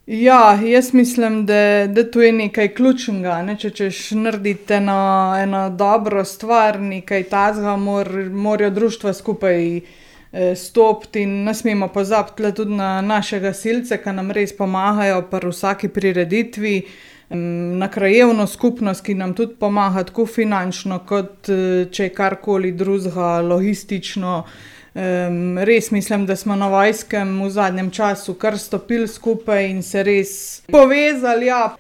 Ja, jaz mislim, da to je nekaj ključnega, ne. Če hočeš narediti eno dobro stvar, nekaj takega, morajo društva skupaj, stopiti in ne smemo pozabiti tule tudi na naše gasilce, ke nam res pomagajo pri vsaki prireditvi, na krajevno skupnost, ki nam tudi pomaga tako finančno kot, če je karkoli drugega, logistično. Res mislim, da smo na Vojskem v zadnjem času kar stopili skupaj in se res povezali, ja.